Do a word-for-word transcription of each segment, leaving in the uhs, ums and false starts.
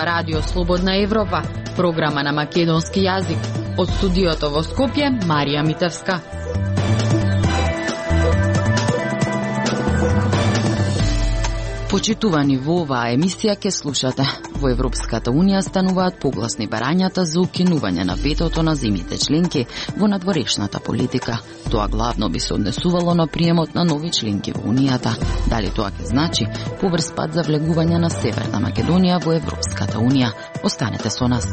зборува Радио Слободна Европа, програма на македонски јазик. Од студиото во Скопје, Марија Митевска. Почитувани, во оваа емисија ке слушате. Во Европската Унија стануваат погласни барањата за укинување на ветото на земјите членки во надворешната политика. Тоа главно би се однесувало на приемот на нови членки во Унијата. Дали тоа ќе значи побрз пат за влегување на Северна Македонија во Европската Унија? Останете со нас.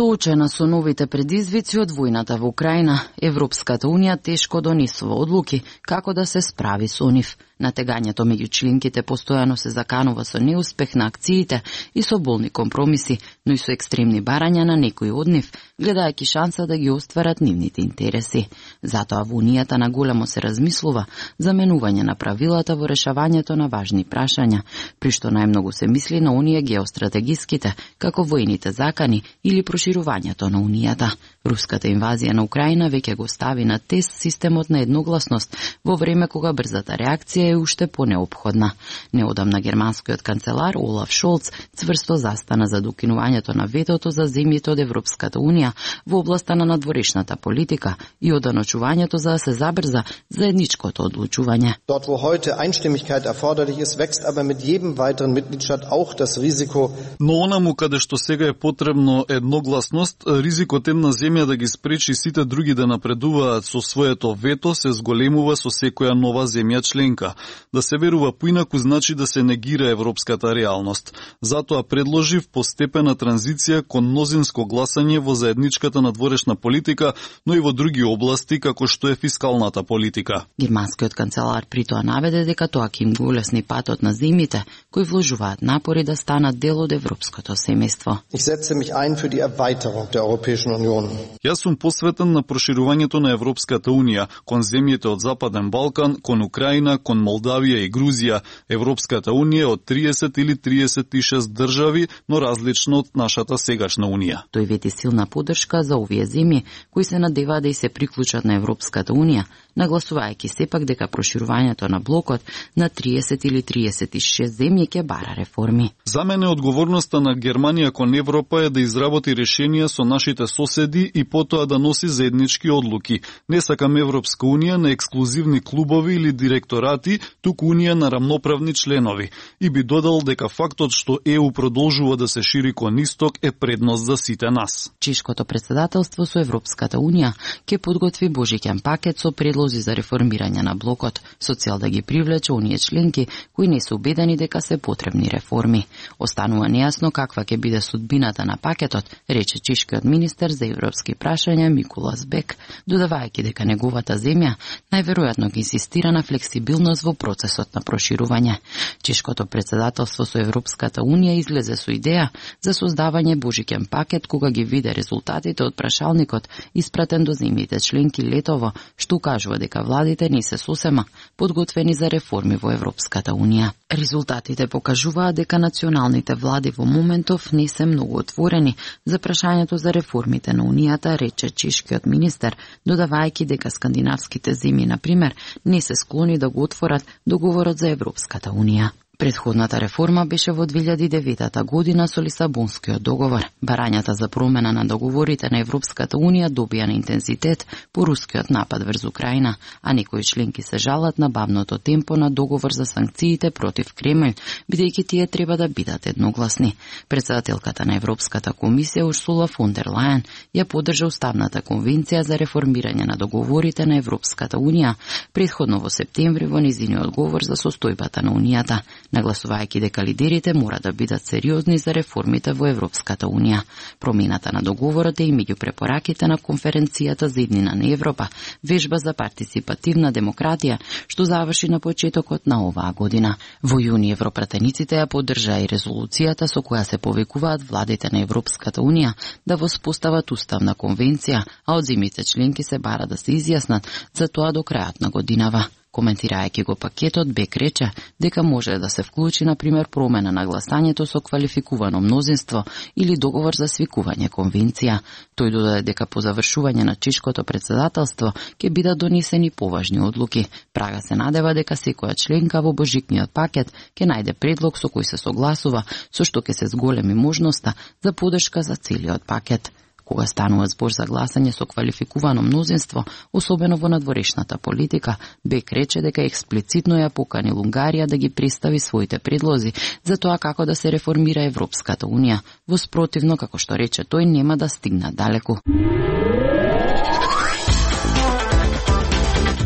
Соочена со новите предизвици од војната во Украина, Европската Унија тешко донесува одлуки како да се справи со нив. Натегањето меѓу членките постојано се заканува со неуспех на акциите и со болни компромиси, но и со екстремни барања на некои од нив, гледајќи шанса да ги остварат нивните интереси. Затоа во Унијата наголемо се размислува за менување на правилата во решавањето на важни прашања, при што најмногу се мисли на оние геостратегиските, како војните закани или проширувањето на Унијата. Руската инвазија на Украина веќе го стави на тест системот на едногласност во време кога брзата реакција е уште понеопходна. Неодамна германскиот канцелар Олаф Шолц цврсто застана за докинувањето на ветото за земјите од Европската Унија во областа на надворешната политика и оданочувањето за да се забрза заедничкото одлучување. Dort wo heute Einstimmigkeit erforderlich ist, wächst aber mit jedem weiteren Mitgliedstaat auch das Risiko. Но онаму каде што сега е потребно едногласност, ризикот една земја да ги спречи сите други да напредуваат со своето вето се зголемува со секоја нова земја членка. Да се верува поинаку значи да се негира европската реалност. Затоа предложив постепена транзиција кон мнозинско гласање во заедничката надворешна политика, но и во други области како што е фискалната политика. Германскиот канцелар при тоа наведе дека тоа ќе им го улесни патот на земјите кои вложуваат напори да станат дел од европското семејство. Ich setze mich ein für die Erweiterung der Europäischen Union. Јас сум посветен на проширувањето на Европската Унија кон земјите од Западен Балкан, кон Украина, кон Молдавија и Грузија. Европската Унија од триесет или триесет и шест држави, но различно од нашата сегашна Унија. Тој вети силна поддршка за овие земји кои се надеваат да и се приклучат на Европската Унија, нагласувајќи сепак дека проширувањето на блокот на триесет или триесет и шест земји ќе бара реформи. За мене одговорноста на Германија кон Европа е да изработи решенија со нашите соседи и потоа да носи заеднички одлуки. Не сакам Европска Унија на ексклузивни клубови или директорати, туку Унија на рамноправни членови. И би додал дека фактот што Е У продолжува да се шири кон исток е предност за сите нас. Чешкото председателство со Европската Унија ќе подготви божиќен пакет со предлози за реформирање на блокот, со цел да ги привлече оние членки кои не се убедени дека се потребни реформи. Останува нејасно каква ќе биде судбината на пакетот, рече чешкиот министер за европски прашања Миколас Бек, додавајќи дека неговата земја најверојатно ги инсистира на флексибилност во процесот на проширување. Чешкото председателство со Европската Унија излезе со идеја за создавање божиќен пакет кога ги виде резултатите од прашалникот испратен до земјите членки летово, што укажува дека владите не се сосема подготвени за реформи во Европската Унија. Резултатите покажуваат дека националните влади во моментов не се многу отворени за прашањето за реформите на Унијата, рече чешкиот министер, додавајќи дека скандинавските земји, на пример, не се склони да го отворат договорот за Европската Унија. Предходната реформа беше во две илјади и девета година со Лисабонскиот договор. Барањата за промена на договорите на Европската Унија добија на интензитет по рускиот напад врз Украина, а некои членки се жалат на бавното темпо на договор за санкциите против Кремљ, бидејќи тие треба да бидат едногласни. Председателката на Европската комисија Урсула фон дер Лајен ја поддржа Уставната конвенција за реформирање на договорите на Европската Унија, претходно во септември во нејзиниот говор за состојбата на Унијата, нагласувајќи дека лидерите мора да бидат сериозни за реформите во Европската Унија. Промената на договорот е и меѓу препораките на конференцијата за иднина на Европа, вежба за партиципативна демократија, што заврши на почетокот на оваа година. Во јуни европратениците ја поддржаа и резолуцијата со која се повикуваат владите на Европската Унија да воспостават уставна конвенција, а од земјите членки се бара да се изјаснат за тоа до крајот на годинава. Коментирајќи го пакетот, Бек рече дека може да се вклучи на пример промена на гласањето со квалификувано мнозинство или договор за свикување конвенција. Тој додаде дека по завршување на чешкото председателство ќе бидат донесени поважни одлуки. Прага се надева дека секоја членка во божикниот пакет ќе најде предлог со кој се согласува, со што ќе се зголеми можноста за подршка за целиот пакет. Кога станува збор за гласање со квалификувано мнозинство, особено во надворешната политика, Бек рече дека експлицитно ја поканил Унгарија да ги представи своите предлози за тоа како да се реформира Европската Унија. Во спротивно, како што рече тој, нема да стигнат далеку.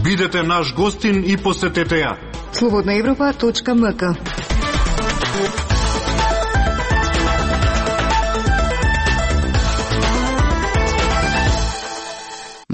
Бидете наш гостин и посетете ја. слободна европа точка ем ка.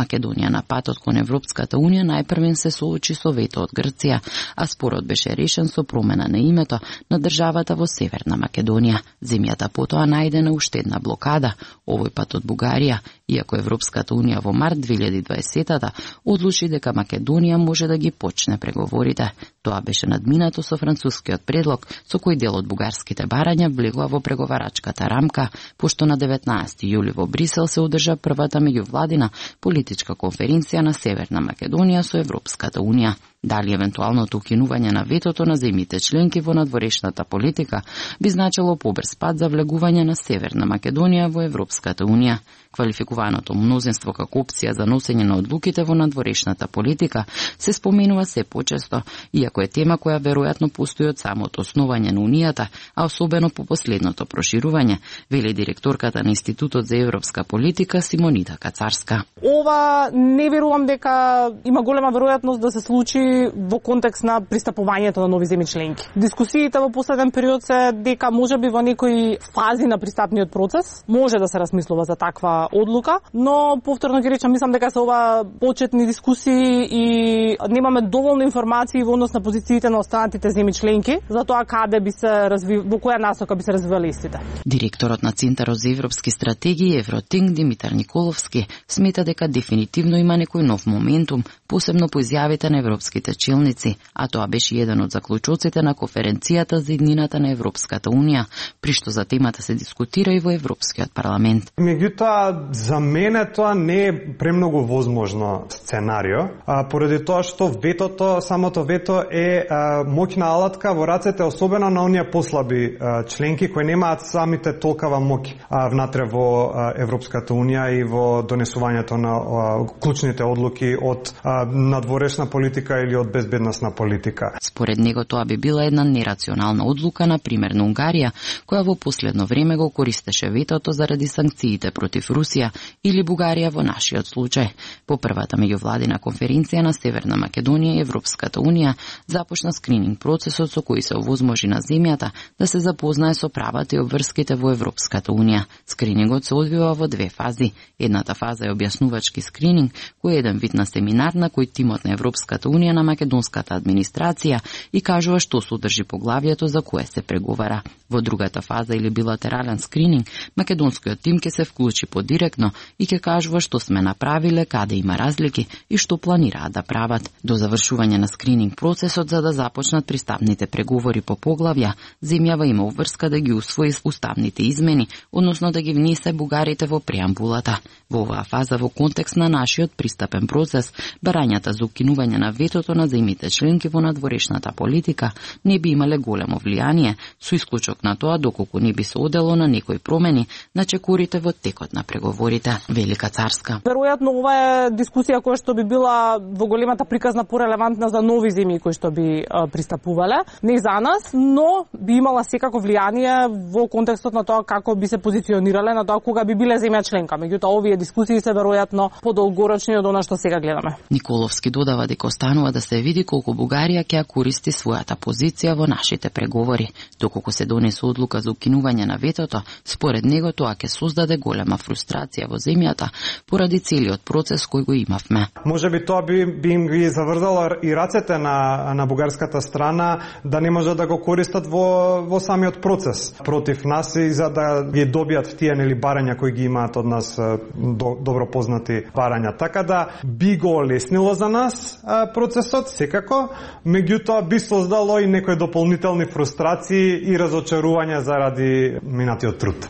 Македонија на патот кон Европската Унија најпрвен се соочи со вето од Грција, а спорот беше решен со промена на името на државата во Северна Македонија. Земјата потоа најдена уште една блокада, овој пат од Бугарија, иако Европската Унија во март две илјади и дваесета одлучи дека Македонија може да ги почне преговорите. Тоа беше надминато со францускиот предлог, со кој дел од бугарските барања влегува во преговарачката рамка, пошто на деветнаесети јули во Брисел се одржа првата меѓувладина политичка конференција на Северна Македонија со Европската Унија. Дали евентуалното укинување на ветото на земјите членки во надворешната политика би значило побрз пат за влегување на Северна Македонија во Европската Унија. Квалификуваното мнозинство како опција за носење на одлуките во надворешната политика се споменува се почесто, иако е тема која веројатно постои од самото основање на Унијата, а особено по последното проширување, вели директорката на Институтот за европска политика Симонита Кацарска. Ова не верувам дека има голема веројатност да се случи во контекст на пристапувањето на нови земји членки. Дискусиите во последен период се дека можеби во некои фази на пристапниот процес може да се размислува за таква одлука, но повторно ги речам, мислам дека се ова почетни дискусии и немаме доволно информации во однос на позициите на останатите земји членки за тоа каде би се разви... во која насока би се развивале истите. Директорот на Центарот за европски стратегии Евротинг Димитар Николовски смета дека дефинитивно има некој нов моментум, посебно по изјавите на европските челници, а тоа беше еден од заклучоците на конференцијата за иднината на Европската Унија, при што за темата се дискутира и во Европскиот парламент. Меѓутоа, за мене тоа не е премногу возможно сценарио, а, поради тоа што ветото, самото вето е а, моќна алатка во рацете, особено на оние послаби а, членки кои немаат самите толкава моќ а, внатре во а, Европската Унија и во донесувањето на а, клучните одлуки од а, надворешна политика или од безбедносна политика. Според него тоа би била една нерационална одлука, на пример на Унгарија, која во последно време го користеше ветото заради санкциите против Русија, или Бугарија во нашиот случај. По првата меѓувладина конференција на Северна Македонија и Европската Унија започна скрининг процесот со кој се овозможи на земјата да се запознае со правата и обврските во Европската Унија. Скринингот се одвива во две фази. Едната фаза е објаснувачки скрининг, кој е еден вид на семинар на кој тимот на Европската Унија на македонската администрација и кажува што содржи поглавието за кое се преговара. Во другата фаза или билатерален скрининг, македонскиот тим ќе се вклучи подиректно и ќе кажува што сме направиле, каде има разлики и што планираат да прават. До завршување на скрининг процесот за да започнат пристапните преговори по поглавја, земјава има обврска да ги усвои уставните измени, односно да ги внесе бугарите во преамбулата. Во оваа фаза, во контекст на нашиот пристапен процес, барањата за укинување на ветото на земјите членки во надворешната политика не би имале големо влијание, со исклучок на тоа доколку не би се одело на некои промени на чекорите во текот на преговорите. Велика Царска. Веројатно ова е дискусија која што би била во големата приказна порелевантна за нови земји кои што би а, пристапувале, не за нас, но би имала секако влијание во контекстот на тоа како би се позиционирале на тоа кога би биле земја членка. Меѓутоа овие дискусии се веројатно подолгорочни од она што сега гледаме. Николовски додава дека останува да се види колку Бугарија ќе ја користи својата позиција во нашите преговори. Доколку се донесе одлука за укинување на ветото, според него тоа ќе создаде голема фрустрација во земјата поради целиот процес кој го имавме. Можеби тоа би, би им ги заврзало и рацете на, на бугарската страна да не може да го користат во, во самиот процес против нас и за да ги добијат тие нели барања кои ги имаат од нас до, добро познати барања. Така да би го олеснило за нас процес процесот, секако, меѓутоа би создало и некои дополнителни фрустрации и разочарувања заради минатиот труд.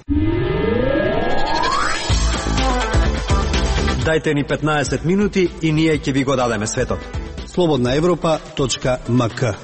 Дајте ни петнаесет минути и ние ќе ви го дадеме светот. слободна европа точка ем ка.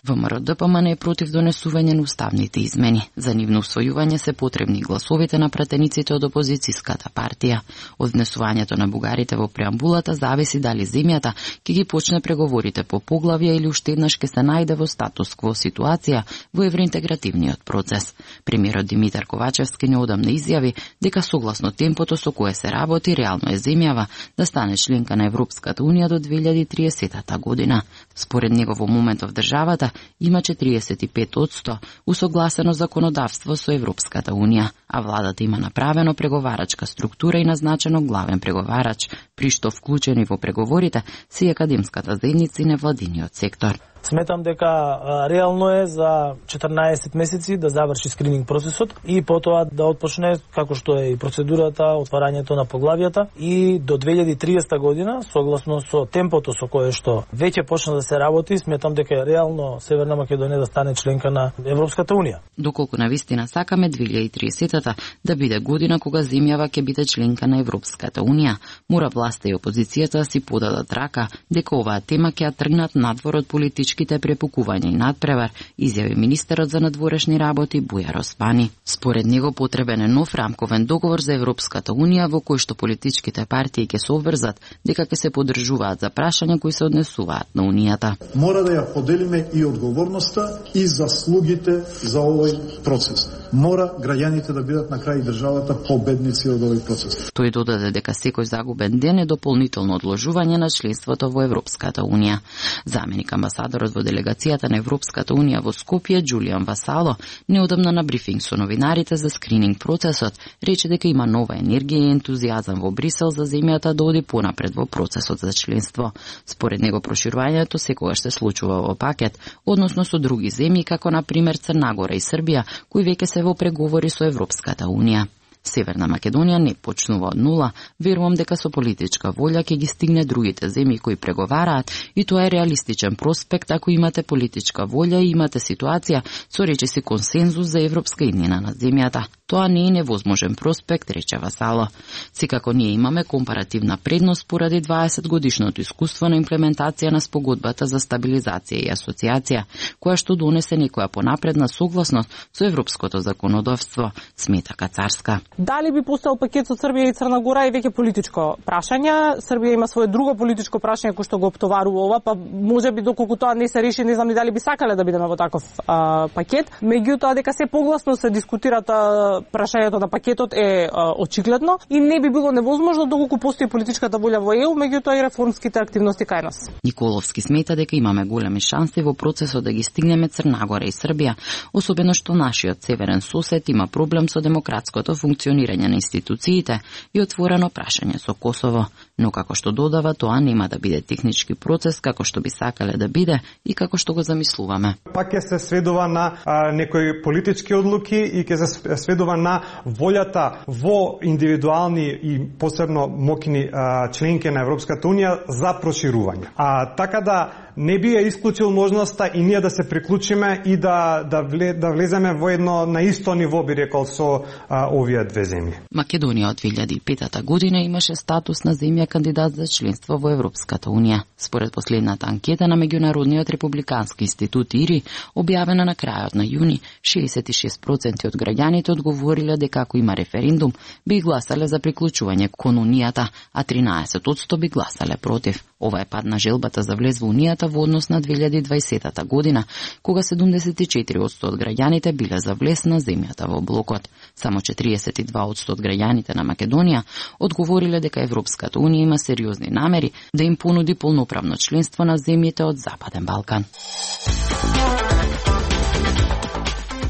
ВМРО-ДПМН е против донесување на уставните измени. За нивно усвојување се потребни гласовите на пратениците од опозицијската партија. Од внесувањето на бугарите во преамбулата зависи дали земјата ќе ги почне преговорите по поглавја или уште еднаш ќе се најде во статус-кво ситуација во евроинтегративниот процес. Премиерот Димитар Ковачевски неодамна изјави дека согласно темпото со кое се работи, реално е земјава да стане членка на Европската унија до две илјади и триесета година. Според него во моментов државата има четириесет и пет одсто усогласено законодавство со Европската унија, а владата има направено преговарачка структура и назначено главен преговарач, при што вклучени во преговорите се и академската заедница и невладиниот сектор. Сметам дека а, реално е за четрнаесет месеци да заврши скрининг процесот и потоа да отпочне, како што е и процедурата, отварањето на поглавјата, и до две илјади и триесета година, согласно со темпото со кое што веќе почна да се работи, сметам дека е реално Северна Македонија да стане членка на Европската унија. Доколку навистина сакаме две илјади и триесета да биде година кога земјава ќе биде членка на Европската унија, мора власта и опозицијата да си подадат рака дека оваа тема ќе ја тргнат надвор од политичките препукување и надпревар, изјави министерот за надворешни работи Бујар Оспани. Според него потребен е нов рамковен договор за Европската унија во кој што политичките партии ќе се обврзат дека ќе се поддржуваат за прашања кои се однесуваат на унијата. Мора да ја поделиме и одговорноста и заслугите за овој процес. Мора граѓаните да бидат на крај државата победници од овој процес. Тој додаде дека секој загубен ден е дополнително одложување на членството во Европската унија. Заменик амбасадорот во делегацијата на Европската унија во Скопје, Џулијан Васало, неодамна на брифинг со новинарите за скрининг процесот, рече дека има нова енергија и ентузијазам во Брисел за земјата да оди понапред во процесот за членство. Според него проширувањето секогаш се случува во пакет, односно со други земји како на пример Црна Гора и Србија, кои веќе се во преговори со Европската унија. Северна Македонија не почнува од нула, верувам дека со политичка волја ќе ги стигне другите земји кои преговараат и тоа е реалистичен проспект ако имате политичка волја и имате ситуација со речиси консензус за европска иднина на земјата. Тоа не е невозможен проспект, рече Васало. Секако ние имаме компаративна предност поради дваесет годишното искуство на имплементација на спогодбата за стабилизација и асоциација, која што донесе некоја понапредна согласност со европското законодавство, смета Кацарска. Дали би постоел пакет со Србија и Црна Гора е веќе политичко прашање. Србија има свое друго политичко прашање кој што го оптоварува ова, па можеби доколку тоа не се реши, не знам ни дали би сакале да бидеме во таков а, пакет. Меѓутоа дека се погласно се дискутират а, прашањето на пакетот е а, очигледно и не би било невозможно доколку постои политичката волја во Е У, меѓутоа и реформските активности кај нас. Николовски смета дека имаме големи шанси во процесот да ги стигнеме Црна Гора и Србија, особено што нашиот северен сосед има проблем со демократското функционирање на институциите и отворено прашање со Косово, но како што додава, тоа нема да биде технички процес како што би сакале да биде и како што го замислуваме. Пак ќе се сведува на а, некои политички одлуки и ќе се сведува на волјата во индивидуални и посебно мокни а, членки на Европската унија за проширување. А така да не би ја исклучил можноста и ние да се приклучиме и да да, вле, да влеземе во едно на исто ниво, би рекол, со а, овие две земји. Македонија од две илјади и пета година имаше статус на земја кандидат за членство во Европската унија. Според последната анкета на Меѓународниот републикански институт ИРИ, објавена на крајот на јуни, шеесет и шест проценти од граѓаните одговориле дека ако има референдум, би гласале за приклучување кон унијата, а тринаесет одсто би гласале против. Ова е пад на желбата за влез во унијата во однос на две илјади и дваесета година, кога седумдесет и четири одсто од граѓаните биле за влез на земјата во блокот. Само четириесет и два одсто од граѓаните на Македонија одговориле дека Европската унија има сериозни намери да им понуди полноправно членство на земјите од Западен Балкан.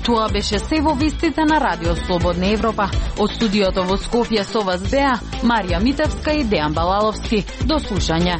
Тоа беше се во вестите на Радио Слободна Европа. Од студиото во Скопје со вас беа Марија Митевска и Дејан Балаловски. До слушање.